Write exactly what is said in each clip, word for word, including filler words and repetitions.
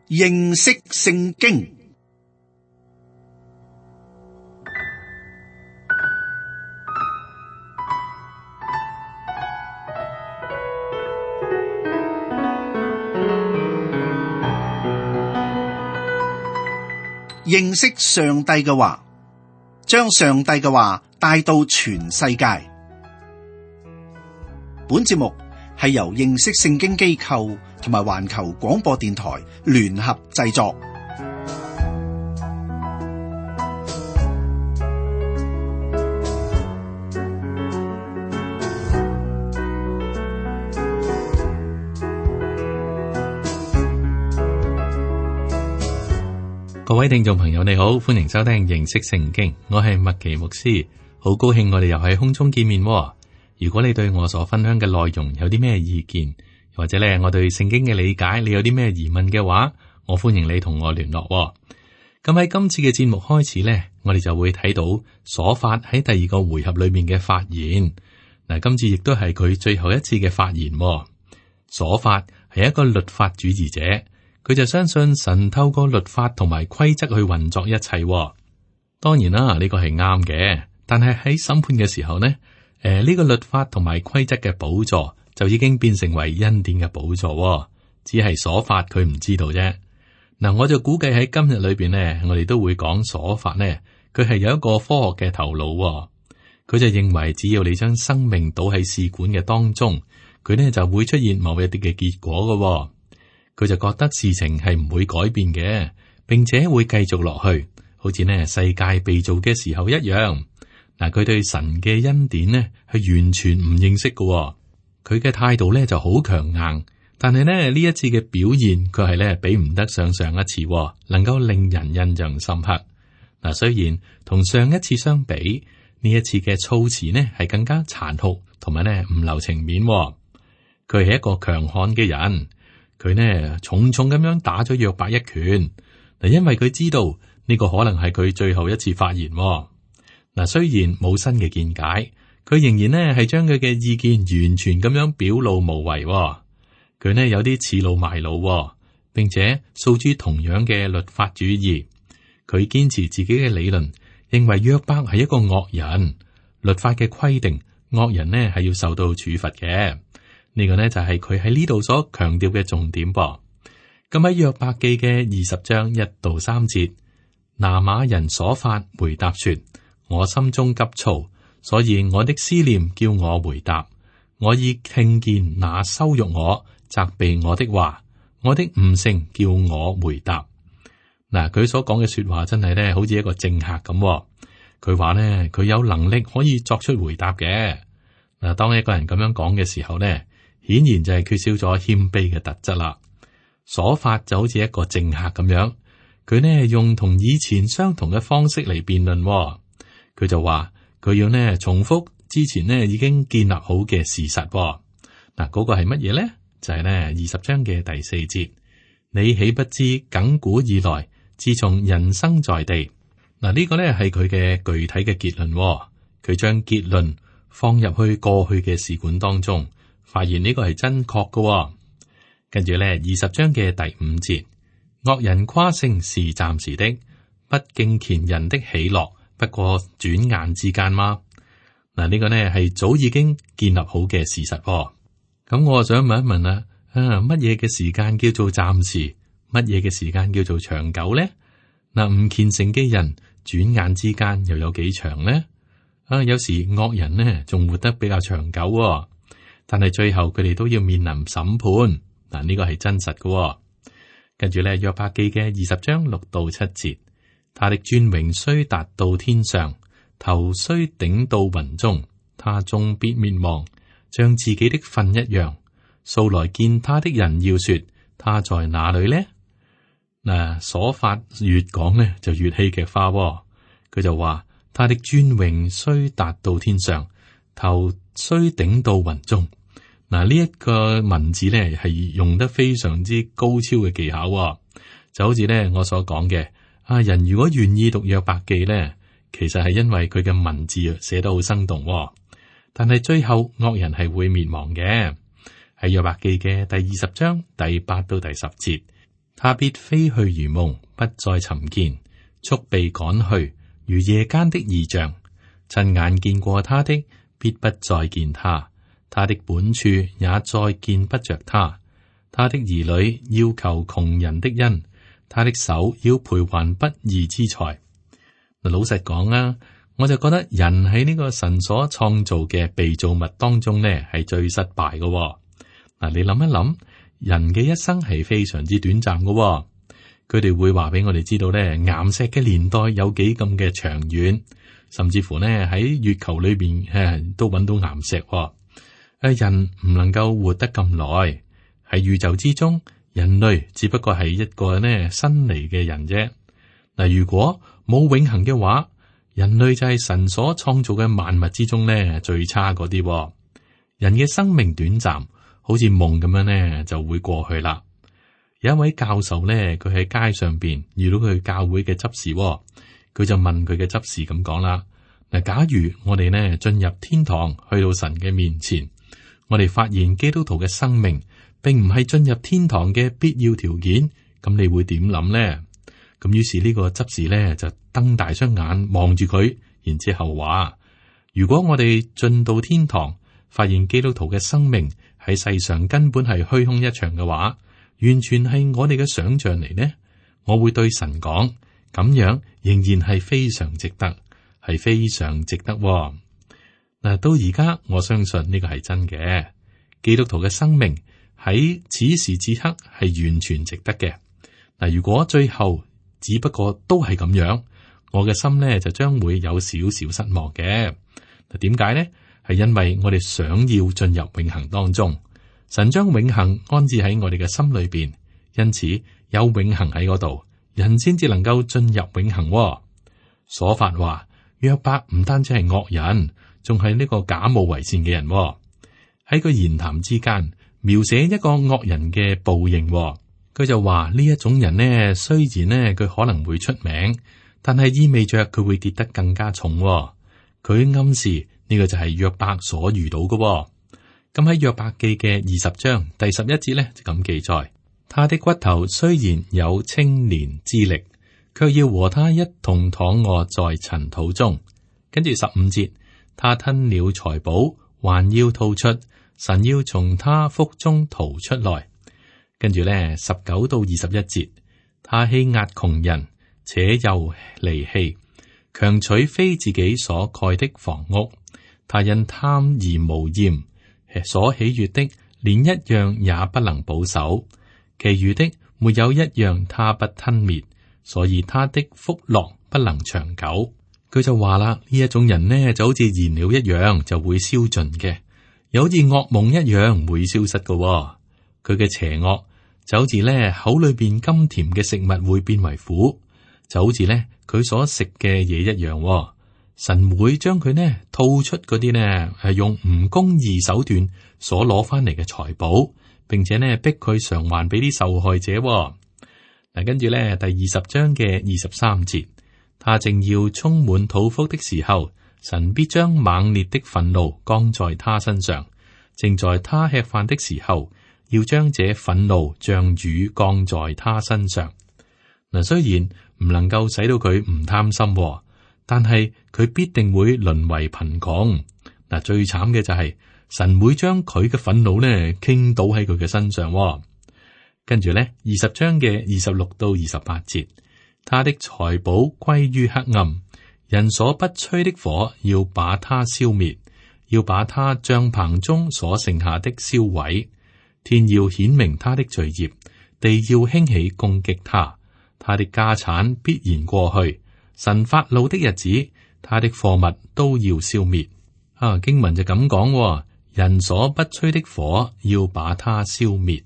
認識聖經。認識上帝嘅話，將上帝嘅話帶到全世界。本節目係由認識聖經機構同埋環球廣播電台聯合製作。各位聽眾朋友，你好，歡迎收聽認識聖經，我係麥奇牧師，好高興我哋又喺空中見面。如果你對我所分享嘅內容有啲咩意見，或者咧我對聖經嘅理解，你有啲咩疑問嘅話，我歡迎你同我聯絡。咁喺今次嘅節目開始呢，我哋就會睇到瑣法喺第二個回合裏面嘅發言。嗱，今次亦都係佢最後一次嘅發言。瑣法係一個律法主義者。佢就相信神透過律法同埋規則去運作一切。當然啦，呢個係啱嘅。但係喺審判嘅時候呢，誒、呃、呢、呢個律法同埋規則嘅寶座就已經變成為恩典嘅寶座，只係瑣法佢唔知道啫。嗱，我就估計喺今日裏邊呢，我哋都會講瑣法呢，佢係有一個科學嘅頭腦。佢就認為只要你將生命倒喺試管嘅當中，佢呢就會出現某一啲嘅結果噶。佢就覺得事情係唔會改變嘅，並且會繼續落去，好似呢世界被造嘅時候一樣。嗱，佢對神嘅恩典呢係完全唔認識嘅，佢嘅態度呢就好強硬。但係呢呢一次嘅表現，佢係呢比唔得上上一次，能夠令人印象深刻。嗱，雖然同上一次相比，呢一次嘅措辭呢係更加殘酷，同埋呢唔留情面。佢係一個強悍嘅人。佢呢重重咁樣打咗約伯一拳，嗱，因為佢知道呢個可能係佢最後一次發言。嗱，雖然冇新嘅見解，佢仍然呢係將佢嘅意見完全咁樣表露無遺。佢呢有啲恃老賣老，並且訴諸同樣嘅律法主義。佢堅持自己嘅理論，認為約伯係一個惡人。律法嘅規定，惡人呢係要受到處罰嘅。呢個呢就係佢喺呢度所強調嘅重點噃。咁喺約伯記嘅二十章一到三節，拿瑪人瑣法回答說：我心中急躁，所以我的思念叫我回答。我已聽見那羞辱我、責備我的話，我的悟性叫我回答。嗱，佢所講嘅說話真係呢，好似一個政客咁。佢話呢，佢有能力可以作出回答嘅。嗱，當一個人咁樣講嘅時候呢，顯然就係缺少咗謙卑嘅特質啦。瑣法就好似一個政客咁樣，佢呢用同以前相同嘅方式嚟辯論。佢就話佢要呢重複之前呢已經建立好嘅事實。嗱，嗰個係乜嘢呢？就係呢二十章嘅第四節，你豈不知亙古以來，自從人生在地。嗱，呢個呢係佢嘅具體嘅結論。佢將結論放入去過去嘅試管當中。發現呢個係真確嘅。哦，跟住咧二十章嘅第五節，惡人誇勝是暫時的，不敬虔人的喜樂不過轉眼之間嗎？嗱，呢個呢係早已經建立好嘅事實。哦。咁我想問一問啦，啊，乜嘢嘅時間叫做暫時？乜嘢嘅時間叫做長久呢？嗱，唔虔誠嘅人轉眼之間又有幾長呢？啊，有時惡人呢仲活得比較長久。哦。但係最後佢哋都要面臨審判，嗱，呢個係真實嘅。哦。跟住咧約伯記嘅二十章六到七節，他的尊榮雖達到天上，頭雖頂到雲中，他終必滅亡，像自己的糞一樣。素來見他的人要說，他在哪裏呢？嗱，瑣法越講呢就越戲劇化。哦。佢就話他的尊榮雖達到天上，頭雖頂到雲中。嗱，呢一個文字咧係用得非常之高超嘅技巧。哦，就好似咧我所講嘅，啊人如果願意讀約伯記咧，其實係因為佢嘅文字寫得好生動。哦，但係最後惡人係會滅亡嘅。喺約伯記嘅第二十章第八到第十節，他必飛去如夢，不再尋見，速被趕去，如夜間的異象。親眼見過他的，必不再見他，他的本處也再見不着他。他的兒女要求窮人的恩，他的手要賠還不義之財。嗱，老實講啊，我就覺得人喺呢個神所創造嘅被造物當中呢，係最失敗嘅，哦。嗱，你諗一諗，人嘅一生係非常之短暫嘅，哦。佢哋會話俾我哋知道呢，岩石嘅年代有幾咁嘅長遠，甚至乎呢喺月球裏邊誒都揾到岩石，哦。誒，人唔能夠活得咁耐，喺宇宙之中，人類只不過係一個呢新嚟嘅人啫。嗱，如果冇永恆嘅話，人類就係神所創造嘅萬物之中呢最差嗰啲。人嘅生命短暫，好似夢咁樣呢就會過去啦。有一位教授呢，佢喺街上邊遇到佢教會嘅執事，佢就問佢嘅執事咁講啦：嗱，假如我哋呢進入天堂，去到神嘅面前，我哋發現基督徒嘅生命並唔係進入天堂嘅必要條件，咁你會點諗呢？咁於是呢個執事呢就瞪大雙眼望住佢，然之後話：如果我哋進到天堂，發現基督徒嘅生命喺世上根本係虛空一場嘅話，完全係我哋嘅想象嚟呢，我會對神講，咁樣仍然係非常值得，係非常值得喎。嗱，到而家我相信呢個係真嘅，基督徒嘅生命喺此時此刻係完全值得嘅。嗱，如果最後只不過都係咁樣，我嘅心呢就將會有少少失望嘅。嗱，點解呢？係因為我哋想要進入永恆當中，神將永恆安置喺我哋嘅心裏邊，因此有永恆喺嗰度，人先至能夠進入永恆喎。所發話，約伯唔單止係惡人，仲係呢個假冒為善嘅人喎。喺個言談之間描寫一個惡人嘅報應喎。佢就話呢一種人呢，雖然呢佢可能會出名，但係意味着佢會跌得更加重喎。佢暗示呢個就係約伯所遇到嘅喎。咁喺約伯記嘅二十章第十一節呢，就咁記載：他的骨頭雖然有青年之力，卻要和他一同躺臥在塵土中。跟住十五節，他吞了財寶，還要吐出，神要從他腹中掏出來。跟住咧，十九到二十一節，他欺壓窮人，且又離棄，強取非自己所蓋的房屋。他因貪而無厭，所喜悅的連一樣也不能保守，其餘的沒有一樣他不吞滅，所以他的福樂不能長久。佢就話啦，呢一種人呢就好似燃料一樣，就會燒盡嘅，又好似噩夢一樣會消失嘅、哦。佢嘅邪惡就好似咧口裏邊甘甜嘅食物會變為苦，就好似咧佢所食嘅嘢一樣、哦。神會將佢呢吐出嗰啲呢係用唔公義手段所攞翻嚟嘅財寶，並且呢逼佢償還俾啲受害者、哦。嗱，跟住咧第二十章嘅二十三節，他正要充滿肚腹的時候，神必將猛烈的憤怒降在他身上；正在他吃飯的時候，要將這憤怒像雨降在他身上。嗱，雖然唔能夠使到佢唔貪心、哦。但係佢必定會淪為貧窮。嗱，最慘嘅就係、是、神會將佢嘅憤怒呢傾倒喺佢嘅身上、哦。跟住咧，二十章嘅二十六到二十八節，他的財寶歸於黑暗，人所不吹的火要把他消滅，要把他帳棚中所剩下的燒毀。天要顯明他的罪孽，地要興起攻擊他，他的家產必然過去。神發怒的日子，他的貨物都要消滅。啊，經文就咁講，人所不吹的火要把它消滅。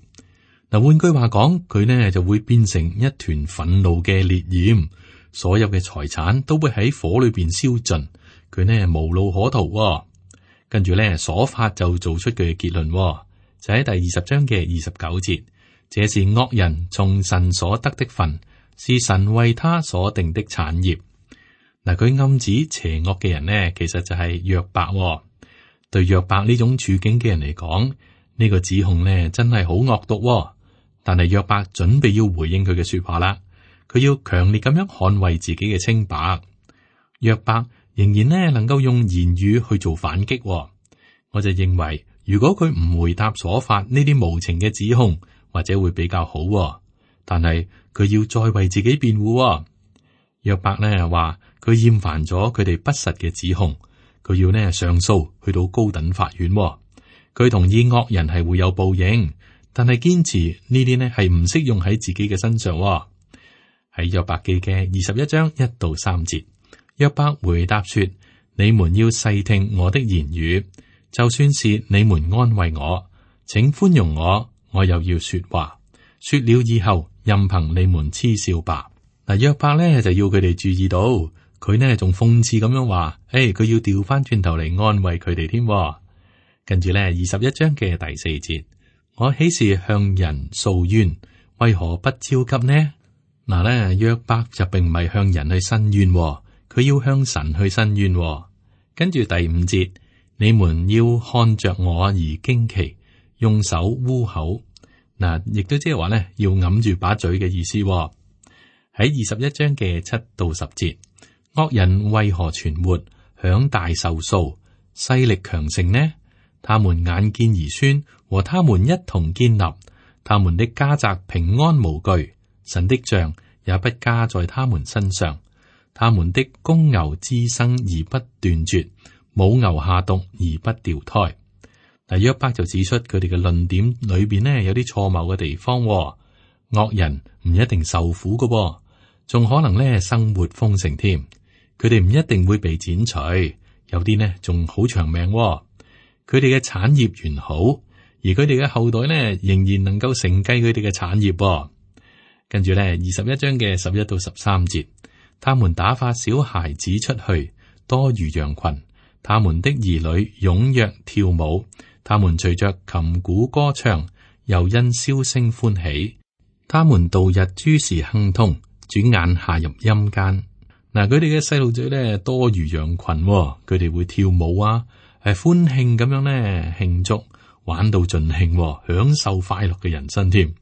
嗱，換句話講，佢呢就會變成一團憤怒嘅烈焰，所有嘅財產都會喺火裏邊燒盡，佢呢無路可逃。跟住咧，所發就做出佢嘅結論，就喺第二十章嘅二十九節，這是惡人從神所得的份，是神為他所定的產業。嗱，佢暗指邪惡嘅人呢，其實就係約伯、哦。對約伯呢種處境嘅人嚟講，呢、這個指控呢真係好惡毒、哦。但係約伯準備要回應佢嘅說話啦，佢要強烈咁樣捍衛自己嘅清白。約伯仍然呢能夠用言語去做反擊，我就認為如果佢唔回答所發呢啲無情嘅指控，或者會比較好。但係佢要再為自己辯護。約伯呢話佢厭煩咗佢哋不實嘅指控，佢要呢上訴去到高等法院。佢同意惡人係會有報應，但係堅持呢啲呢係唔適用喺自己嘅身上。喺約伯記嘅二十一章一到三節，約伯回答說：你們要細聽我的言語，就算是你們安慰我，請寬容我，我又要說話。說了以後，任憑你們嗤笑吧。嗱，約伯咧就要佢哋注意到，佢呢仲諷刺咁樣話：誒，佢要調翻轉頭嚟安慰佢哋添。跟住咧，二十一章嘅第四節，我豈是向人訴冤，為何不焦急呢？嗱咧，約伯就並唔係向人去申冤，佢要向神去申冤。跟住第五節，你們要看着我而驚奇，用手污口。嗱，亦都即係話咧，要揞住把嘴嘅意思。喺二十一章嘅七到十節，惡人為何存活，享大壽數，勢力強盛呢？他們眼見兒孫和他們一同建立，他們的家宅平安無懼，神的杖也不加在他們身上。他們的公牛滋生而不斷絕，母牛下犢而不掉胎。嗱，約伯就指出佢哋嘅論點裏邊呢有啲錯謬嘅地方。惡人唔一定受苦㗎，仲可能咧生活豐盛添。佢哋唔一定會被剪除，有啲呢仲好長命。佢哋嘅產業完好，而佢哋嘅後代呢仍然能夠承繼佢哋嘅產業。跟住咧，二十一章嘅十一到十三節，他們打發小孩子出去，多如羊群。他們的兒女踴躍跳舞，他們隨着琴鼓歌唱，又因簫聲歡喜。他們度日諸時亨通，轉眼下入陰間。嗱，佢哋嘅細路仔咧多如羊群，佢哋會跳舞啊，係歡慶咁樣咧慶祝，玩到盡興，享受快樂嘅人生添。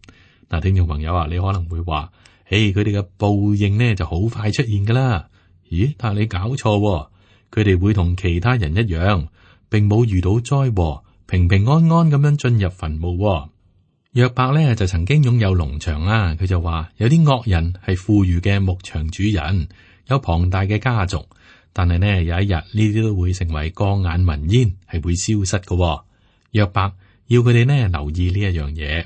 嗱，聽眾朋友啊，你可能會話：誒，佢哋嘅報應呢就好快出現噶啦。咦？但係你搞錯，佢哋會同其他人一樣，並冇遇到災禍，平平安安咁樣進入墳墓。約伯咧就曾經擁有農場啦，佢就話有啲惡人係富裕嘅牧場主人，有龐大嘅家族，但係呢有一日呢啲都會成為過眼雲煙，係會消失嘅。約伯要佢哋呢留意呢一樣嘢。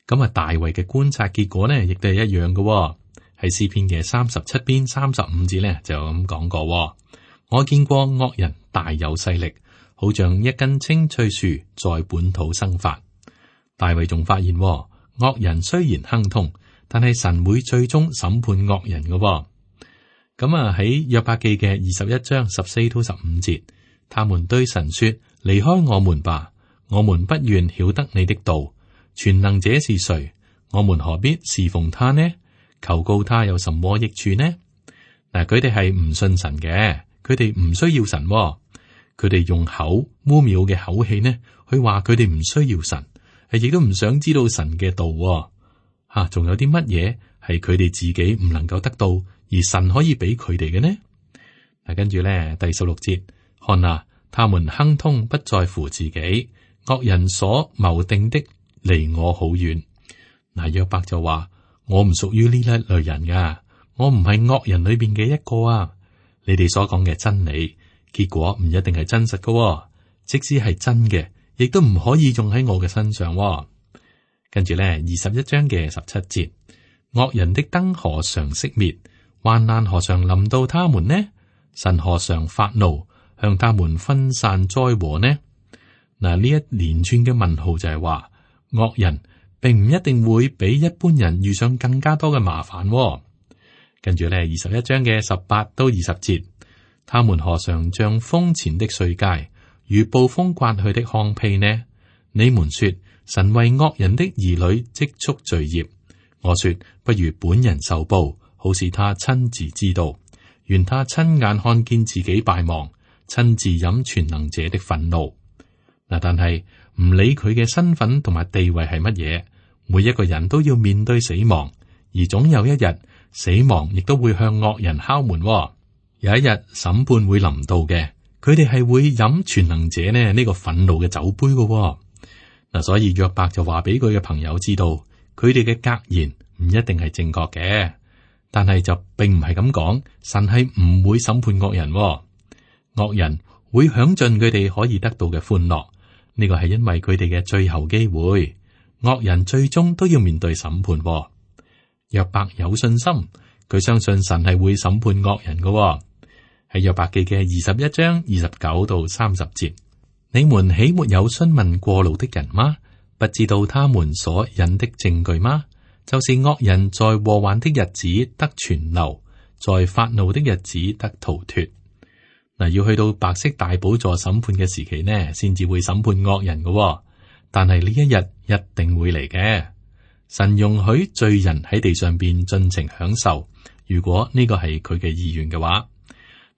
咁啊，大衛嘅觀察結果呢，亦都係一樣嘅。喺詩篇嘅三十七篇三十五節呢，就咁講過。我見過惡人大有勢力，好像一根青翠樹在本土生發。大衛仲發現，惡人雖然亨通，但係神會最終審判惡人嘅。咁啊，喺約伯記嘅二十一章十四到十五節，他們對神說：離開我們吧，我們不願曉得你的道。全能者是誰？我們何必侍奉他呢？求告他有什麼益處呢？嗱，佢哋係唔信神嘅，佢哋唔需要神，佢哋用口污蔑嘅口氣呢，去話佢哋唔需要神，係亦都唔想知道神嘅道。吓，仲有啲乜嘢係佢哋自己唔能夠得到，而神可以俾佢哋嘅呢？嗱，跟住咧第十六節，看啊，他們亨通不在乎自己，惡人所謀定的離我好遠。嗱，約伯就話：我唔屬於呢一類人噶，我唔係惡人裏邊嘅一個啊。你哋所講嘅真理，結果唔一定係真實噶，即使係真嘅，亦都唔可以用喺我嘅身上。跟住咧，二十一章嘅十七節，惡人的燈何嘗熄滅，患難何嘗臨到他們呢？神何嘗發怒，向他們分散災禍呢？嗱，呢一連串嘅問號就係話，惡人並唔一定會比一般人遇上更加多嘅麻煩。跟住咧，二十一章嘅十八到二十節，他們何嘗像風前的碎秸，如暴風刮去的糠秕呢？你們說神為惡人的兒女積蓄罪孽，我說不如本人受報，好使他親自知道，願他親眼看見自己敗亡，親自飲全能者的憤怒。嗱，但係唔理佢嘅身份同埋地位係乜嘢，每一個人都要面對死亡，而總有一日死亡亦都會向惡人敲門。有一日審判會臨到嘅，佢哋係會飲全能者呢呢個憤怒嘅酒杯嘅。嗱，所以約伯就話俾佢嘅朋友知道，佢哋嘅格言唔一定係正確嘅，但係就並唔係咁講，神係唔會審判惡人，惡人會享盡佢哋可以得到嘅歡樂。呢個係因為佢哋嘅最後機會，惡人最終都要面對審判。約伯有信心，佢相信神係會審判惡人嘅。喺約伯記嘅二十一章二十九到三十節，你們豈沒有詢問過路的人嗎？不知道他們所引的證據嗎？就是惡人在禍患的日子得存留，在發怒的日子得逃脫。嗱，要去到白色大寶座審判嘅時期呢，先至會審判惡人嘅。但係呢一日一定會嚟嘅。神容許罪人喺地上邊盡情享受，如果呢個係佢嘅意願嘅話。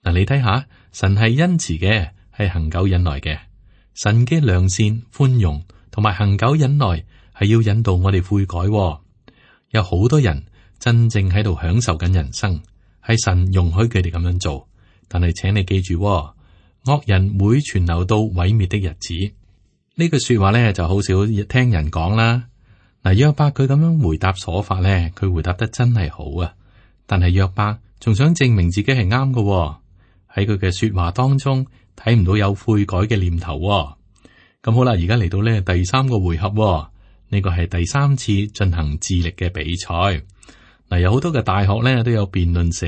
嗱，你睇下，神係恩慈嘅，係恒久忍耐嘅。神嘅良善、寬容同埋恒久忍耐係要引導我哋悔改。有好多人真正喺度享受緊人生，係神容許佢哋咁樣做。但係請你記住，惡人會存留到毀滅的日子。呢句說話咧就好少聽人講啦。嗱，約伯佢咁樣回答所法咧，佢回答得真係好啊。但係約伯仲想證明自己係啱嘅，喺佢嘅說話當中睇唔到有悔改嘅念頭。咁好啦，而家嚟到呢第三個回合，呢個係第三次進行智力嘅比賽。嗱，有好多嘅大學咧都有辯論社。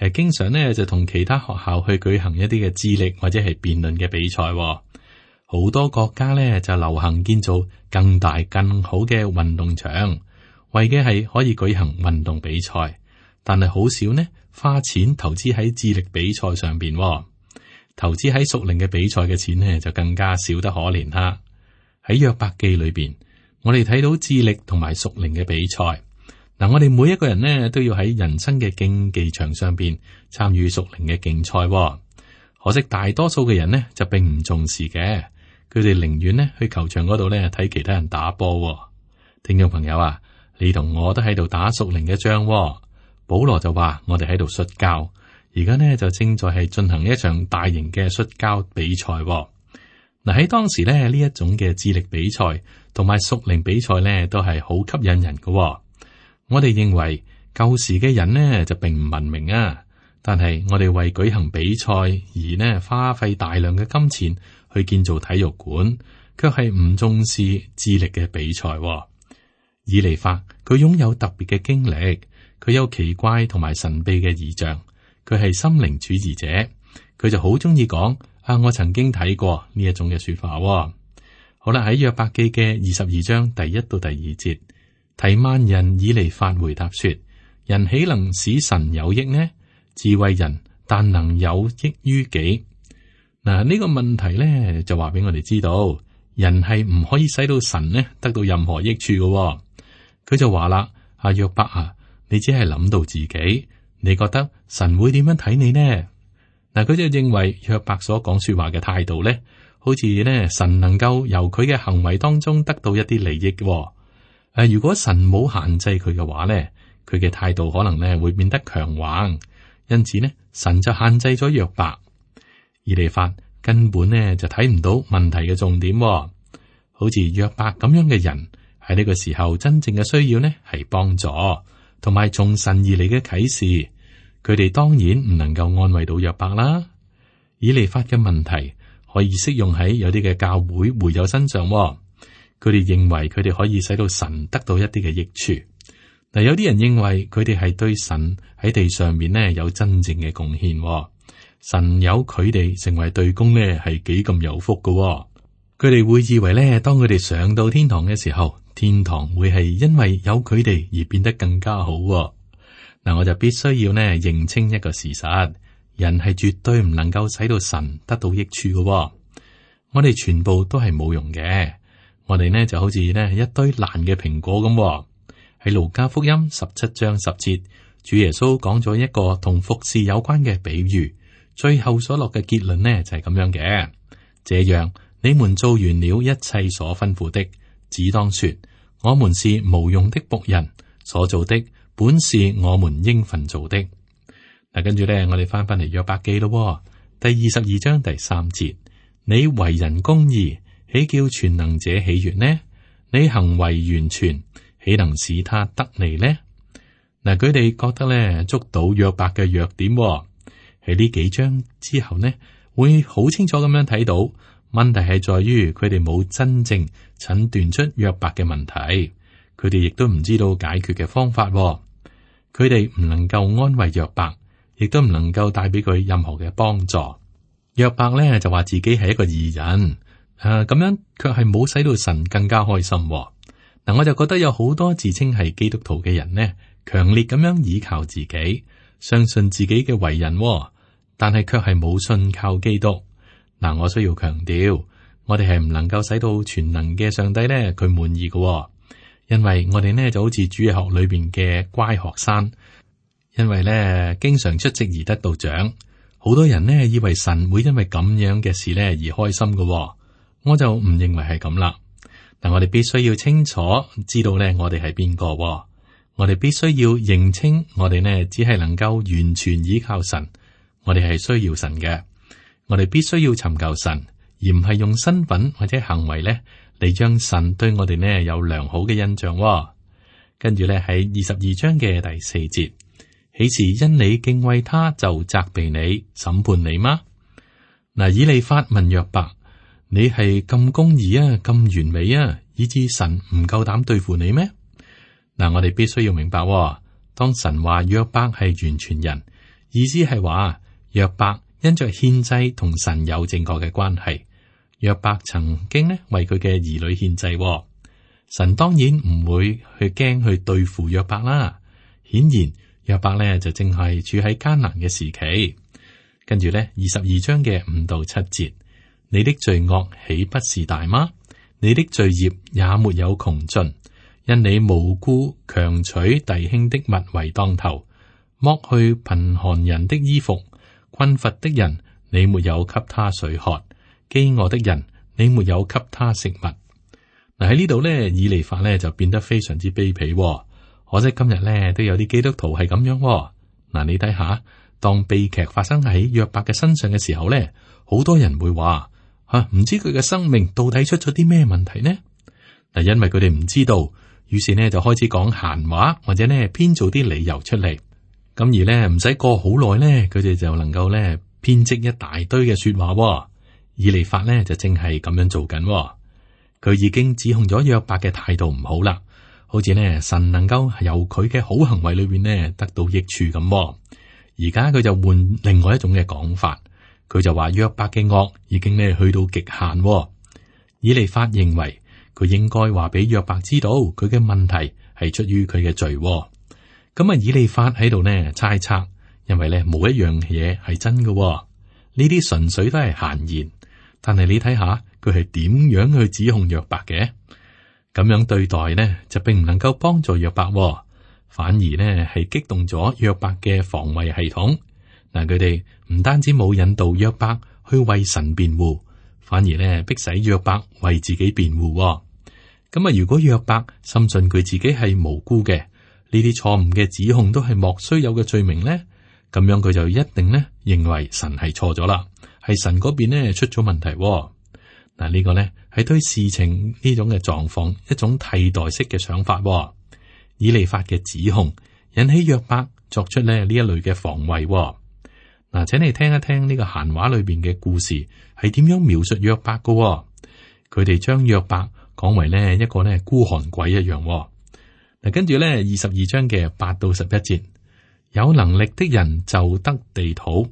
誒，經常咧就同其他學校去舉行一啲嘅智力或者係辯論嘅比賽。好多國家咧就流行建造更大更好嘅運動場，為嘅係可以舉行運動比賽。但係好少呢花錢投資喺智力比賽上邊，投資喺屬靈嘅比賽嘅錢呢就更加少得可憐啦。喺約伯記裏邊，我哋睇到智力同埋屬靈嘅比賽。嗱，我哋每一個人呢都要喺人生嘅競技場上邊參與屬靈嘅競賽。可惜大多數嘅人呢就並唔重視嘅，佢哋寧願呢去球場嗰度呢睇其他人打波。聽眾朋友啊，你同我都喺度打屬靈嘅仗。保羅就話我哋喺度摔跤，而家呢就正在係進行一場大型嘅摔跤比賽。嗱，喺當時呢呢一種嘅智力比賽同埋屬靈比賽呢都係好吸引人嘅。我哋認為舊時嘅人呢就並唔文明啊，但係我哋為舉行比賽而呢花費大量嘅金錢去建造體育館，卻係唔重視智力嘅比賽。以利法佢擁有特別嘅經歷，佢有奇怪同埋神秘嘅異象，佢係心靈主義者，佢就好中意講啊，我曾經睇過呢一種嘅說法。好啦，喺約伯記嘅二十二章第一到第二節。提曼人以利法回答說：人豈能使神有益呢？智慧人但能有益於己。嗱，呢個問題咧就話俾我哋知道，人係唔可以使到神呢得到任何益處嘅。佢就話啦：阿約伯啊，你只係諗到自己，你覺得神會點樣睇你呢？嗱，佢就認為約伯所講說話嘅態度咧，好似呢神能夠由佢嘅行為當中得到一啲利益嘅。誒，如果神冇限制佢嘅話咧，佢嘅態度可能咧會變得強橫，因此呢，神就限制咗約伯。以利法根本呢就睇唔到問題嘅重點，好似約伯咁樣嘅人喺呢個時候真正嘅需要呢係幫助，同埋從神而嚟嘅啟示，佢哋當然唔能夠安慰到約伯啦。以利法嘅問題可以適用喺有啲嘅教會會友身上。佢哋認為佢哋可以使到神得到一啲嘅益處。嗱，有啲人認為佢哋係對神喺地上面呢有真正嘅貢獻。神有佢哋成為對公呢係幾咁有福噶。佢哋會以為呢，當佢哋上到天堂嘅時候，天堂會係因為有佢哋而變得更加好。嗱，我就必須要呢認清一個事實，人係絕對唔能夠使到神得到益處噶。我哋全部都係冇用嘅。我哋呢就好似呢一堆爛嘅蘋果咁。喺路加福音十七章十節，主耶穌講咗一個同服侍有關嘅比喻，最後所落嘅結論呢就係咁樣嘅。這樣你們做完了一切所吩咐的，只當說：我們是無用的僕人，所做的本是我們應份做的。嗱，跟住咧，我哋翻翻嚟約伯記咯，第二十二章第三節，你為人公義，豈叫全能者喜悅呢？你行為完全，豈能使他得利呢？嗱，佢哋覺得咧捉到約伯嘅弱點喺呢幾章之後呢，會好清楚咁樣睇到問題係在於佢哋冇真正診斷出約伯嘅問題，佢哋亦都唔知道解決嘅方法，佢哋唔能夠安慰約伯，亦都唔能夠帶俾佢任何嘅幫助。約伯咧就話自己係一個義人，誒、啊、咁樣卻係冇使到神更加開心。嗱，我就覺得有好多自稱係基督徒嘅人呢，強烈咁樣倚靠自己，相信自己嘅為人，但係卻係冇信靠基督。嗱，我需要強調，我哋係唔能夠使到全能嘅上帝咧佢滿意嘅，因為我哋呢就好似主日學裏邊嘅乖學生，因為咧經常出席而得到獎。好多人呢以為神會因為咁樣嘅事咧而開心嘅，我就唔認為係咁啦。但我哋必須要清楚知道咧，我哋係邊個，我哋必須要認清，我哋呢只係能夠完全依靠神，我哋係需要神嘅，我哋必須要尋求神，而唔係用身份或者行為咧嚟將神對我哋呢有良好嘅印象。跟住咧喺二十二章嘅第四節，豈是因你敬畏他就責備你審判你嗎？嗱，以利法問約伯，你係咁公義啊，咁完美啊，以致神唔夠膽對付你咩？嗱，我哋必須要明白，當神話約伯係完全人，意思係話約伯因着獻祭同神有正確嘅關係。約伯曾經呢為佢嘅兒女獻祭，神當然唔會去驚去對付約伯啦。顯然約伯呢就正係處喺艱難嘅時期。跟住呢，二十二章嘅五到七節。你的罪惡豈不是大嗎？你的罪孽也沒有窮盡，因你無故強取弟兄的物為當頭，剝去貧寒人的衣服，困乏的人你沒有給他水喝，飢餓的人你沒有給他食物。嗱，喺呢度咧，以利法咧就變得非常之卑鄙。可惜今日咧都有啲基督徒係咁樣。嗱，你睇下，當悲劇發生喺約伯嘅身上嘅時候咧，好多人會話。吓，唔知佢嘅生命到底出咗啲咩問題呢？嗱，因為佢哋唔知道，於是呢就開始講閒話，或者呢編造啲理由出嚟。咁而呢唔使過好耐呢，佢哋就能夠呢編織一大堆嘅說話。以利法呢就正係咁樣做緊，佢已經指控咗約伯嘅態度唔好啦，好似呢神能夠由佢嘅好行為裏邊呢得到益處咁。而家佢就換另外一種嘅講法。佢就話約伯嘅惡已經咧去到極限。以利法認為佢應該話俾約伯知道佢嘅問題係出於佢嘅罪。咁啊，以利法喺度呢猜測，因為咧冇一樣嘢係真嘅，呢啲純粹都係閒言。但係你睇下佢係點樣去指控約伯嘅，咁樣對待呢就並唔能夠幫助約伯，反而呢係激動咗約伯嘅防衛系統。嗱，佢哋唔單止冇引導約伯去為神辯護，反而咧逼使約伯為自己辯護。咁啊，如果約伯深信佢自己係無辜嘅，呢啲錯誤嘅指控都係莫須有嘅罪名咧，咁樣佢就一定咧認為神係錯咗啦，係神嗰邊咧出咗問題。嗱，呢個咧係對事情呢種嘅狀況一種替代式嘅想法。以利法嘅指控引起約伯作出咧呢一類嘅防衛。嗱，請你聽一聽呢個閒話裏邊嘅故事係點樣描述約伯噶。佢哋將約伯講為呢一個呢孤寒鬼一樣。嗱，跟住呢二十二章嘅八到十一節，有能力的人就得地土，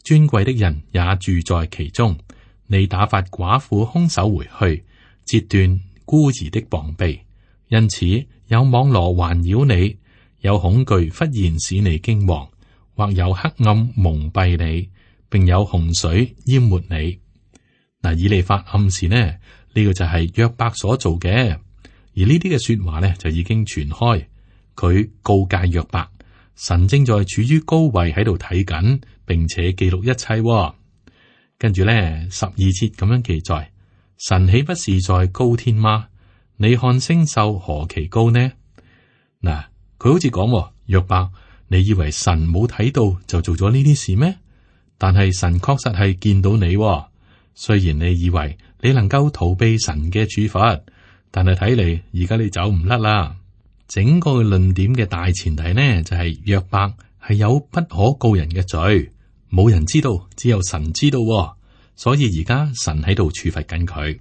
尊貴的人也住在其中。你打發寡婦空手回去，截斷孤兒的膀臂，因此有網羅環繞你，有恐懼忽然使你驚惶。或有黑暗蒙蔽你，並有洪水淹沒你。嗱，以利法暗示呢，呢、這個就係約伯所做嘅，而呢啲嘅說話呢，就已經傳開。佢告誡約伯，神正在處於高位喺度睇緊，並且記錄一切。跟住呢，十二節咁樣記載：神豈不是在高天嗎？你看星宿何其高呢？嗱，佢好似講，約伯，你以為神冇睇到就做咗呢啲事咩？但係神確實係見到你，雖然你以為你能夠逃避神嘅處罰，但係睇嚟而家你走唔甩啦。整個論點嘅大前提呢，就係約伯係有不可告人嘅罪，冇人知道，只有神知道，所以而家神喺度處罰緊佢。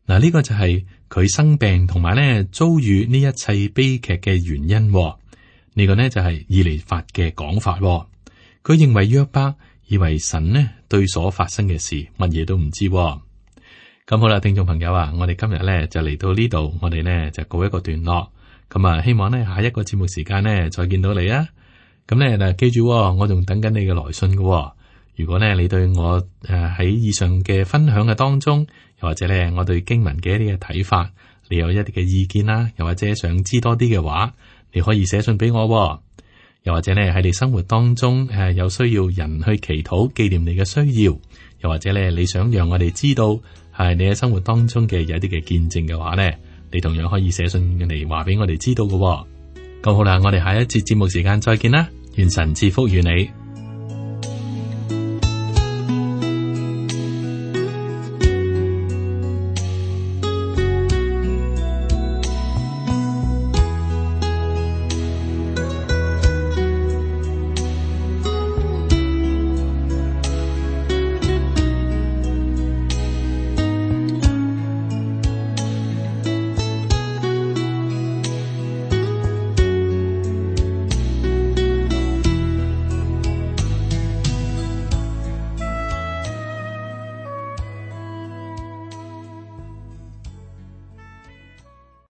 嗱，呢個就係佢生病同埋咧遭遇呢一切悲劇嘅原因。呢個呢，就係以利法嘅講法。佢認為約伯以為神呢對所發生嘅事乜嘢都唔知。咁好啦，聽眾朋友啊，我哋今日咧就嚟到呢度，我哋呢就告一個段落。咁啊，希望呢下一個節目時間呢再見到你啊！咁咧嗱，記住，我仲等緊你嘅來信嘅。如果咧你對我誒喺以上嘅分享嘅當中，又或者咧我對經文嘅一啲嘅睇法，你有一啲嘅意見啦，又或者想知多啲嘅話，你可以寫信俾我。又或者咧喺你生活當中誒有需要人去祈禱紀念你嘅需要，又或者咧你想讓我哋知道係你喺生活當中嘅有一啲嘅見證嘅話咧，你同樣可以寫信嚟話俾我哋知道嘅。咁好啦，我哋下一節節目時間再見啦，願神賜福與你。